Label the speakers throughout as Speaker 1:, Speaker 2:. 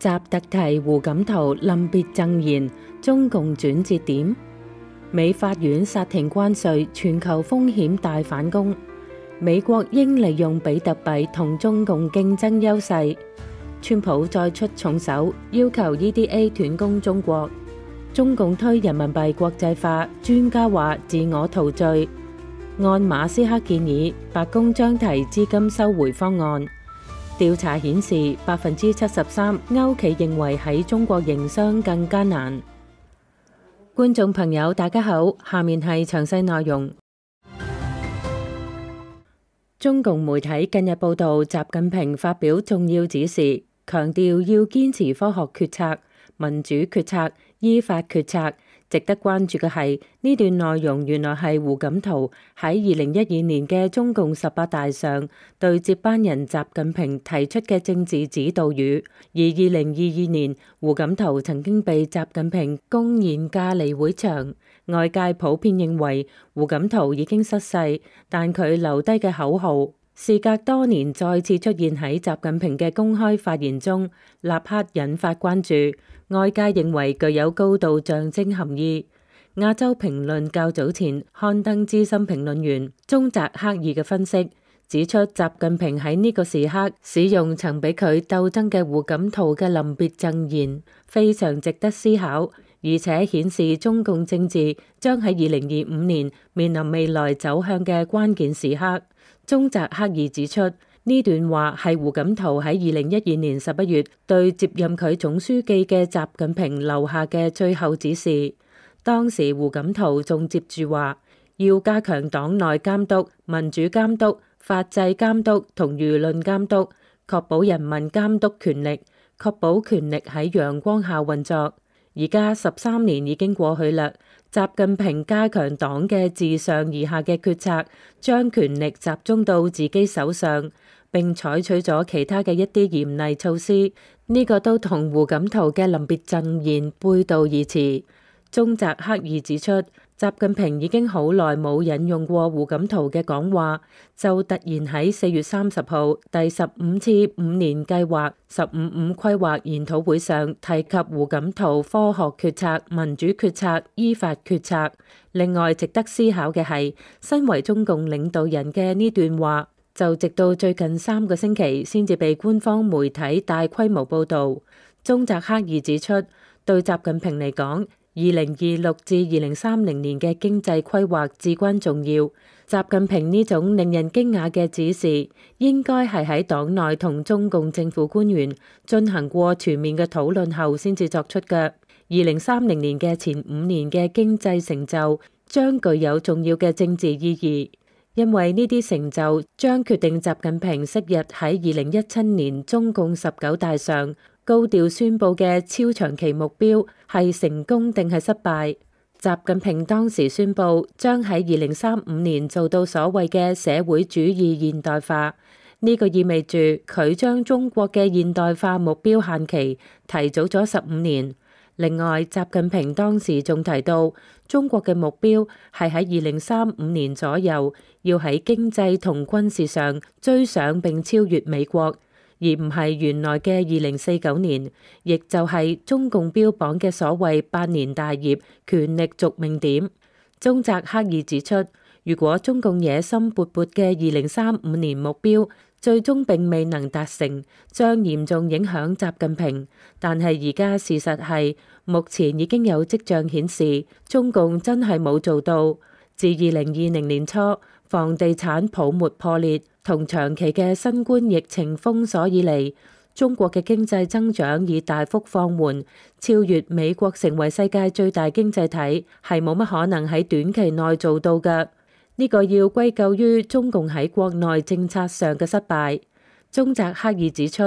Speaker 1: 習特提胡錦濤臨別贈言，中共轉折點。美法院殺停關稅，全球風險大反攻。美國應利用比特幣同中共競爭優勢。川普再出重手，要求 EDA 斷供中國。中共推人民幣國際化，專家話自我陶醉。按馬斯克建議，白宮將提資金收回方案。調查顯示，73%歐企認為喺中國營商更艱難。觀眾朋友，大家好，下面係詳細內容。中共媒體近日報道，習近平發表重要指示，強調要堅持科學決策、民主決策、依法決策。值得關注嘅係，呢段內容原來係胡錦濤喺2012年嘅中共18大上對接班人習近平提出嘅政治指導語。而2022年，胡錦濤曾經被習近平公然架離會場，外界普遍認為胡錦濤已經失勢，但佢留低嘅口號，事隔多年再次出現喺習近平嘅公開發言中，立刻引發關注。外界認為具有高度象徵含義。亞洲評論較早前刊登資深評論員中澤克二嘅分析，指出習近平喺呢個時刻使用曾俾佢鬥爭嘅胡錦濤嘅臨別贈言，非常值得思考，而且顯示中共政治將喺2025年面臨未來走向嘅關鍵時刻。中澤克二指出，呢段話係胡錦濤喺2012年11月對接任佢總書記嘅習近平留下嘅最後指示。當時胡錦濤仲接住話，要加強黨內監督、民主監督、法制監督同輿論監督，確保人民監督權力，確保權力喺陽光下運作。而家13年已經過去啦，習近平加強黨嘅自上而下嘅決策，將權力集中到自己手上，並採取咗其他嘅一啲嚴厲措施，呢個都同胡錦濤嘅臨別贈言背道而馳。中澤克二指出，習近平已經好耐冇引用過胡錦濤嘅講話，就突然喺4月30號第15次5年計劃15.5規劃研討會上提及胡錦濤科學決策、民主決策、依法決策。另外值得思考嘅係，身為中共領導人嘅呢段話，就直到最近3個星期先至被官方媒體大規模報導。中澤克二指出，對習近平嚟講，2026至2030年嘅經濟規劃至關重要。習近平呢種令人驚訝嘅指示，應該係喺黨內同中共政府官員進行過全面嘅討論後先至作出嘅。2030年嘅前5年嘅經濟成就將具有重要嘅政治意義，因為呢啲成就將決定習近平昔日喺2017年中共19大上高調宣佈嘅超長期目標係成功定係失敗。習近平當時宣佈將喺2035年做到所謂嘅社會主義現代化，呢個意味住佢將中國嘅現代化目標限期提早咗15年。另外，習近平當時仲提到，中國嘅目標係喺2035年左右要喺經濟同軍事上追上並超越美國，而唔係原來嘅2049年，亦就係中共標榜嘅所謂百年大業權力續命點。中澤克二指出，如果中共野心勃勃嘅2035年目標最終並未能達成，將嚴重影響習近平。但係而家事實係，目前已經有跡象顯示，中共真係冇做到。自2020年初房地產泡沫破裂同長期嘅新冠疫情封鎖以嚟，中國嘅經濟增長已大幅放緩，超越美國成為世界最大經濟體，係冇乜可能喺短期內做到嘅。呢個要歸咎於中共喺國內政策上嘅失敗。中澤克二指出，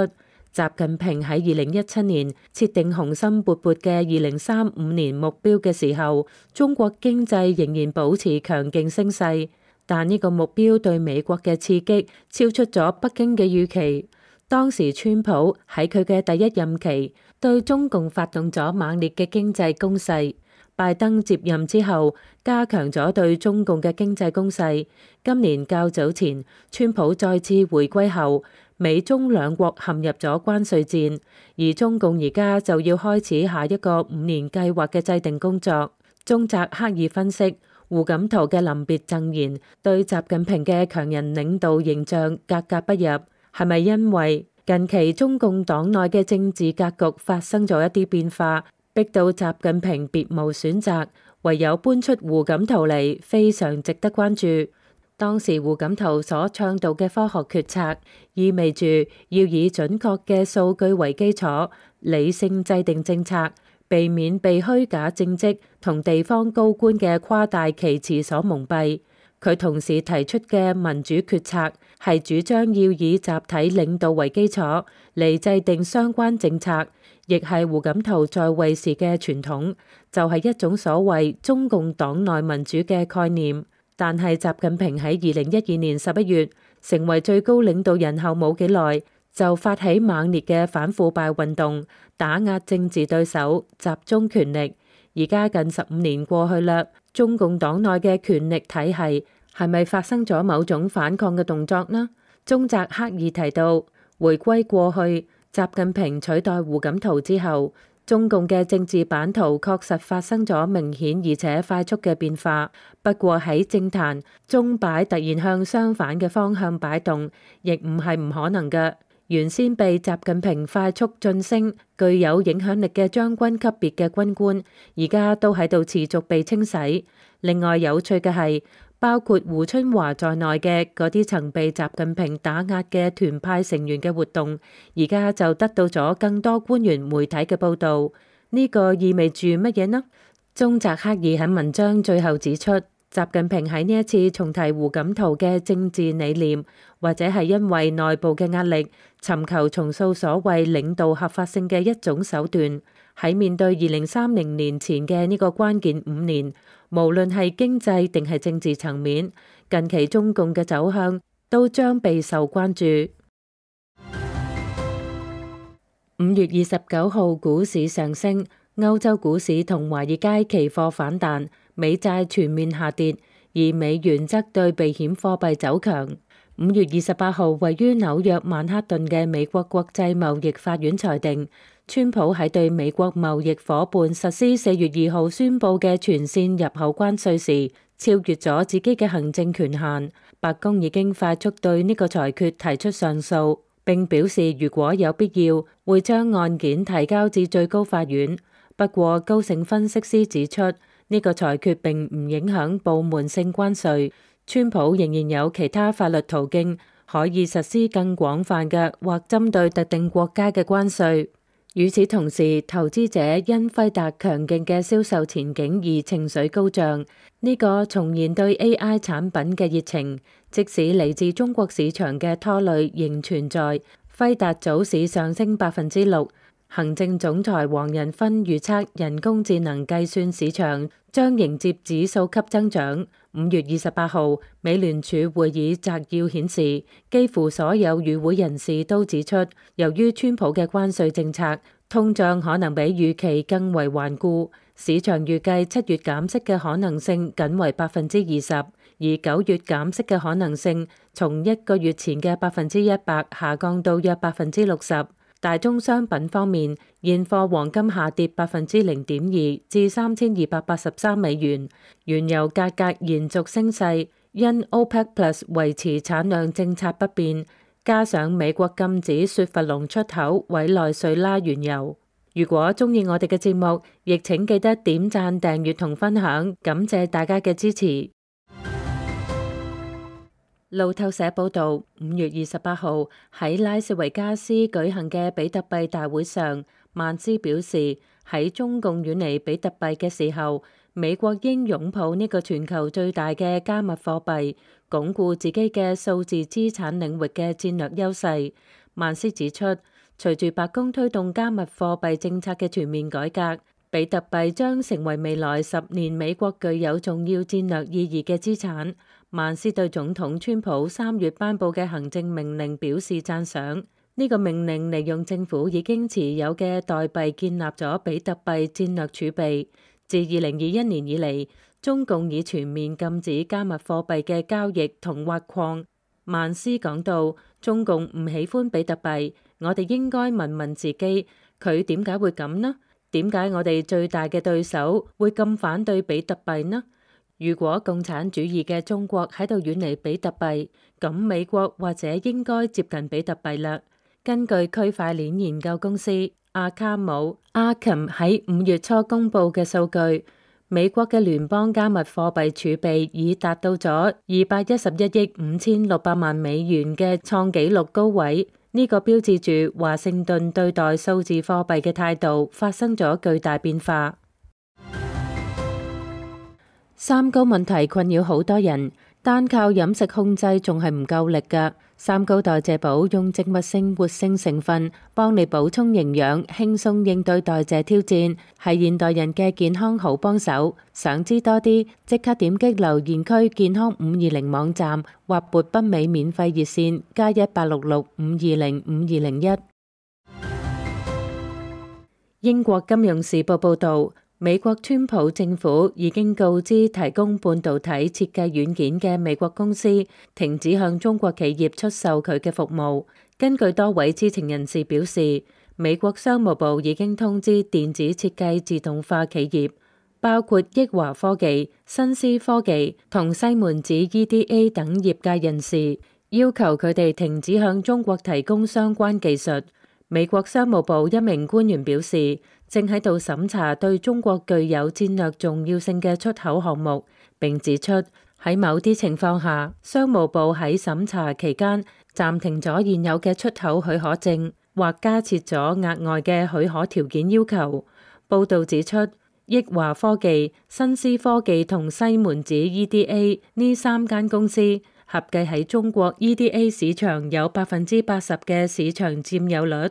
Speaker 1: 習近平喺2017年設定雄心勃勃嘅2035年目標嘅時候，中國經濟仍然保持強勁升勢，但呢個目標對美國嘅刺激超出咗北京嘅預期。當時川普喺佢嘅第一任期對中共發動咗猛烈嘅經濟攻勢。拜登接任之後，加強咗對中共嘅經濟攻勢。今年較早前，川普再次回歸後，美中兩國陷入咗關稅戰，而中共而家就要開始下一個5年計劃嘅制定工作。中澤克二分析，胡錦濤嘅臨別贈言對習近平嘅強人領導形象格格不入，係咪因為近期中共黨內嘅政治格局發生咗一啲變化，逼到習近平別無選擇，唯有搬出胡錦濤嚟，非常值得關注。當時胡錦濤所倡導嘅科學決策，意味住要以準確嘅數據為基礎，理性制定政策，避免被虛假政績同地方高官嘅誇大其詞所蒙蔽。佢同時提出嘅民主決策，係主張要以集體領導為基礎嚟制定相關政策，亦係胡錦濤在位時嘅傳統，就係一種所謂中共黨內民主嘅概念。但係習近平喺2012年11月成為最高領導人後冇幾耐，就發起猛烈嘅反腐敗運動，打壓政治對手，集中權力。而家近15年過去啦，中共黨內嘅權力體系係咪發生咗某種反抗嘅動作呢？中澤克二提到，回歸過去，習近平取代胡錦濤之後，中共嘅政治版圖確實發生咗明顯而且快速嘅變化。不過喺政壇，鐘擺突然向相反嘅方向擺動，亦唔係唔可能嘅。原先被習近平快速晉升、具有影響力嘅將軍級別嘅軍官，而家都喺度持續被清洗。另外有趣嘅係，包括胡春華在內嘅嗰啲曾被習近平打壓嘅團派成員嘅活動，而家就得到咗更多官員媒體嘅報導。呢個意味住乜嘢呢？中澤克二喺文章最後指出，習近平喺呢一次重提胡錦濤嘅政治理念，或者係因為內部嘅壓力，尋求重塑所謂領導合法性嘅一種手段。喺面對2030年前嘅呢個關鍵5年，無論係經濟定係政治層面，近期中共嘅走向都將備受關注。5月29號股市上升，歐洲股市同華爾街期貨反彈，美債全面下跌，而美元則對避險貨幣走強。5月28號，位於紐約曼克頓嘅美國國際貿易法院裁定，川普喺對美國貿易夥伴實施4月2號宣佈嘅全線入口關稅時，超越咗自己嘅行政權限。白宮已經快速對呢個裁決提出上訴，並表示如果有必要，會將案件提交至最高法院。不過，高盛分析師指出，呢個裁決並唔影響部門性關稅。川普仍然有其他法律途徑可以實施更廣泛嘅或針對特定國家嘅關稅。與此同時，投資者因輝達強勁嘅銷售前景而情緒高漲，呢個重燃對 AI 產品嘅熱情。即使嚟自中國市場嘅拖累仍存在，輝達早市上升6%。行政總裁黃仁勳預測人工智能計算市場將迎接指數級增長。5月28號，美聯儲會議摘要顯示，幾乎所有與會人士都指出，由於川普嘅關稅政策，通脹可能比預期更為頑固。市場預計7月減息嘅可能性僅為20%，而9月減息嘅可能性從1個月前嘅100%下降到約60%。大宗商品方面，現貨黃金下跌0.2%至3283美元，原油價格延續升勢，因 OPEC Plus 維持產量政策不變，加上美國禁止雪佛龍出口委內瑞拉原油。如果鍾意我哋嘅節目，亦請記得點讚、訂閱同分享，感謝大家嘅支持。路透社報導，5月28號喺拉斯維加斯舉行嘅比特幣大會上，曼斯表示喺中共遠離比特幣嘅時候，美國應擁抱呢個全球最大嘅加密貨幣，鞏固自己嘅數字資產領域嘅戰略優勢。曼斯指出，隨住白宮推動加密貨幣政策嘅全面改革，比特幣將成為未來10年美國具有重要戰略意義嘅資產。曼斯對總統川普3月頒布嘅行政命令表示讚賞。呢個命令利用政府已經持有嘅代幣建立咗比特幣戰略儲備。自2021年以嚟，中共已全面禁止加密貨幣嘅交易同挖礦。曼斯講到，中共唔喜歡比特幣，我哋應該問問自己，佢點解會咁呢？點解我哋最大嘅對手會咁反對比特幣呢？如果共產主義嘅中國喺度遠離比特幣，咁美國或者應該接近比特幣啦。根據區塊鏈研究公司阿卡姆 Arkham 喺5月初公布嘅數據，美國嘅聯邦加密貨幣儲備已達到咗211億5600萬美元嘅創紀錄高位。呢個標誌住華盛頓對待數字貨幣嘅態度發生咗巨大變化。三高問題困擾好多人，單靠飲食控制仲係唔夠力㗎。三高代謝寶用植物性活性成分幫你補充營養，輕鬆應對代謝挑戰，係現代人嘅健康好幫手。想知多啲，即刻點擊留言區健康520網站或撥北美免費熱線+1-866-520-5201。英國金融時報報導，美國川普政府已經告知提供半導體設計軟件嘅美國公司停止向中國企業出售佢嘅服務。根據多位知情人士表示，美國商務部已經通知電子設計自動化企業，包括益華科技、新思科技同西門子 EDA 等業界人士，要求佢哋停止向中國提供相關技術。美國商務部一名官員表示，正喺度審查對中國具有戰略重要性嘅出口項目，並指出喺某啲情況下，商務部喺審查期間暫停咗現有嘅出口許可證，或加設咗額外嘅許可條件要求。報導指出，益華科技、新思科技同西門子 EDA 呢三間公司合計喺中國 EDA 市場有80%嘅市場佔有率。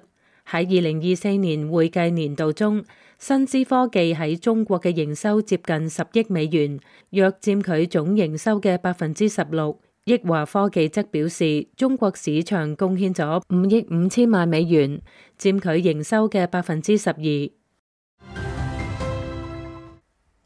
Speaker 1: 喺2024年會計年度中，新思科技喺中國嘅營收接近10億美元，約佔佢總營收嘅16%。益華科技則表示，中國市場貢獻咗5億5千萬美元，佔佢營收嘅12%。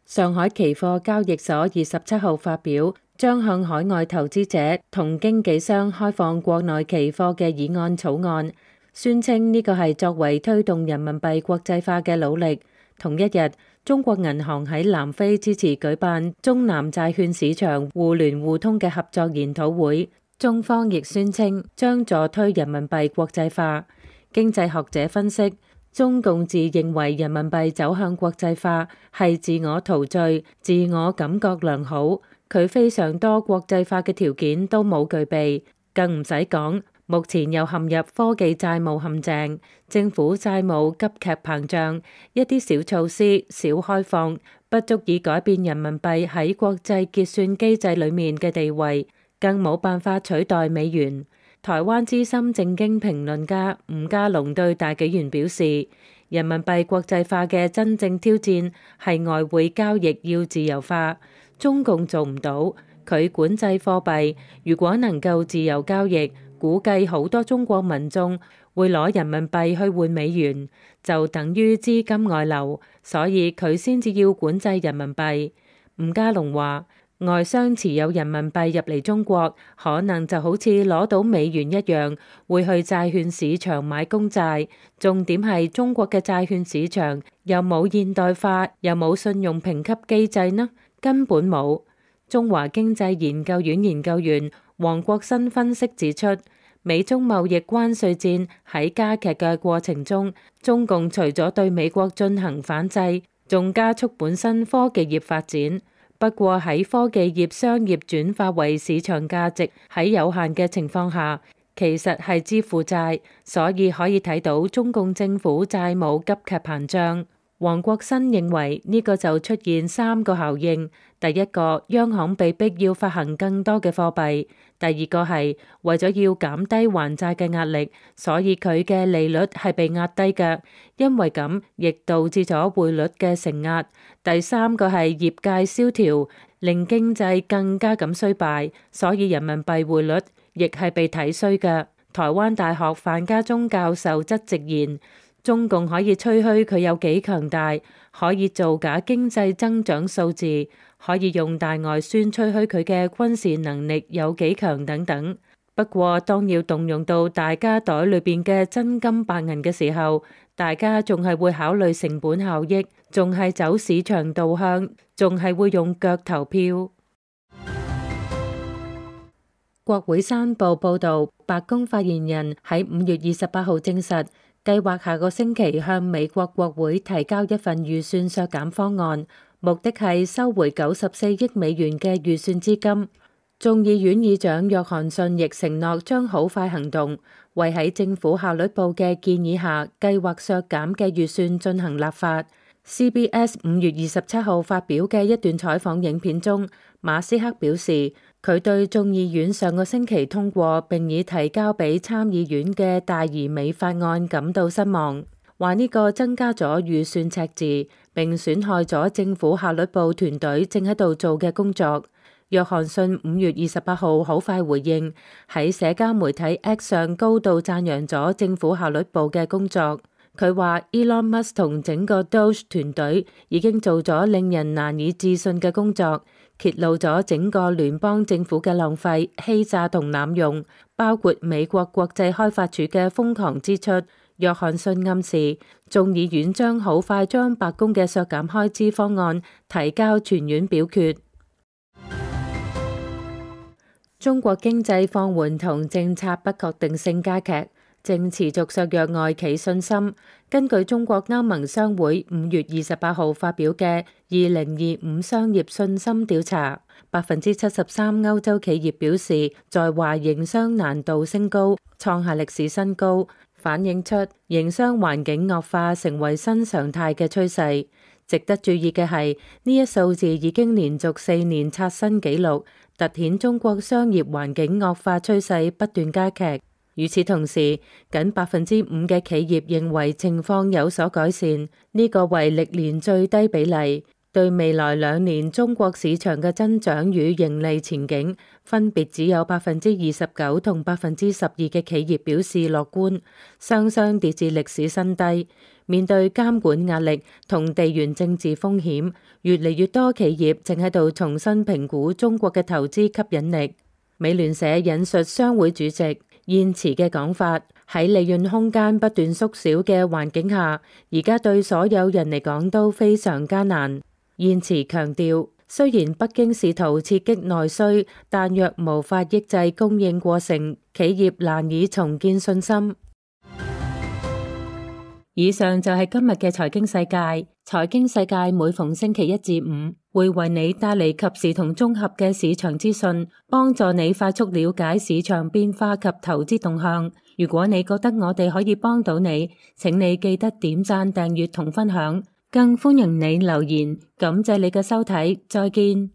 Speaker 1: 上海期貨交易所27號發表將向海外投資者同經紀商開放國內期貨嘅議案草案，宣稱呢個係作為推動人民幣國際化嘅努力。同一日，中國銀行喺南非支持舉辦中南債券市場互聯互通嘅合作研討會，中方亦宣稱將助推人民幣國際化。經濟學者分析，中共自認為人民幣走向國際化係自我陶醉、自我感覺良好，佢非常多國際化嘅條件都冇具備，更唔使講。目前又陷入科技債務陷阱，政府債務急劇膨脹，一啲小措施、小開放不足以改變人民幣喺國際結算機制裡面嘅地位，更冇辦法取代美元。台灣資深政經評論家吳家龍對大紀元表示，人民幣國際化嘅真正挑戰係外匯交易要自由化，中共做唔到，佢管制貨幣，如果能夠自由交易，估計好多中國民眾會攞人民幣去換美元，就等於資金外流，所以佢先至要管制人民幣。吳家龍話，外商持有人民幣入嚟中國，可能就好似攞到美元一樣，會去債券市場買公債。重點係中國嘅債券市場又冇現代化，又冇信用評級機制呢，根本冇。中華經濟研究院研究員黃國新分析指出，美中貿易關稅戰喺加劇嘅過程中，中共除咗對美國進行反制，仲加速本身科技業發展。不過喺科技業商業轉化為市場價值喺有限嘅情況下，其實係支付債，所以可以睇到中共政府債務急劇膨脹。黃國新認為呢個就出現3個效應：第一個，央行被逼要發行更多嘅貨幣；第二個係為咗要減低還債嘅壓力，所以佢嘅利率係被壓低嘅，因為咁亦導致咗匯率嘅承壓；第三個係業界蕭條，令經濟更加咁衰敗，所以人民幣匯率亦係被睇衰嘅。台灣大學范家宗教授則直言，中共可以吹噓佢有幾強大，可以造假經濟增長數字，可以用大外宣吹噓佢嘅軍事能力有幾強等等。不過當要動用到大家袋裏邊嘅真金白銀嘅時候，大家仲係會考慮成本效益，仲係走市場導向，仲係會用腳投票。國會山報報導，白宮發言人喺5月28號證實，計劃下個星期向美國國會提交一份預算削減方案，目的係收回94億美元嘅預算資金。眾議院議長約翰遜亦承諾將好快行動，為喺政府效率部嘅建議下計劃削減嘅預算進行立法。CBS 5月27號發表嘅一段採訪影片中，馬斯克表示，佢對眾議院上個星期通過並已提交俾參議院嘅大而美法案感到失望，話呢個增加咗預算赤字，並損害咗政府效率部團隊正喺度做嘅工作。約翰遜5月28號好快回應，喺社交媒體 X 上高度讚揚咗政府效率部嘅工作。佢話 Elon Musk 同整個 Doge 團隊已經做咗令人難以置信嘅工作，揭露咗整個聯邦政府嘅浪費、欺詐同濫用，包括美國國際開發署嘅瘋狂支出。約翰遜暗示，眾議院將好快將白宮嘅削減開支方案提交全院表決。中國經濟放緩同政策不確定性加劇，正持續削弱外企信心。根據中國歐盟商會5月28號發表嘅2025商業信心調查，73%歐洲企業表示在華營商難度升高，創下歷史新高，反映出營商環境惡化成為新常態嘅趨勢。值得注意嘅係，呢一數字已經連續4年刷新紀錄，凸顯中國商業環境惡化趨勢不斷加劇。與此同時，僅5%嘅企業認為情況有所改善，呢個為歷年最低比例。對未來2年中國市場嘅增長與盈利前景，分別只有29%同12%嘅企業表示樂觀，雙雙跌至歷史新低。面對監管壓力同地緣政治風險，越嚟越多企業正喺度重新評估中國嘅投資吸引力。美聯社引述商會主席燕池嘅講法，喺利潤空間不斷縮小嘅環境下，而家對所有人嚟講都非常艱難。燕池強調，雖然北京試圖刺激內需，但若無法抑制供應過剩，企業難以重建信心。以上就係今日嘅財經世界。財經世界每逢星期1至5會為你帶嚟及時同綜合嘅市場資訊，幫助你快速了解市場變化及投資動向。如果你覺得我哋可以幫到你，請你記得點讚、訂閱同分享，更歡迎你留言。感謝你嘅收睇，再見。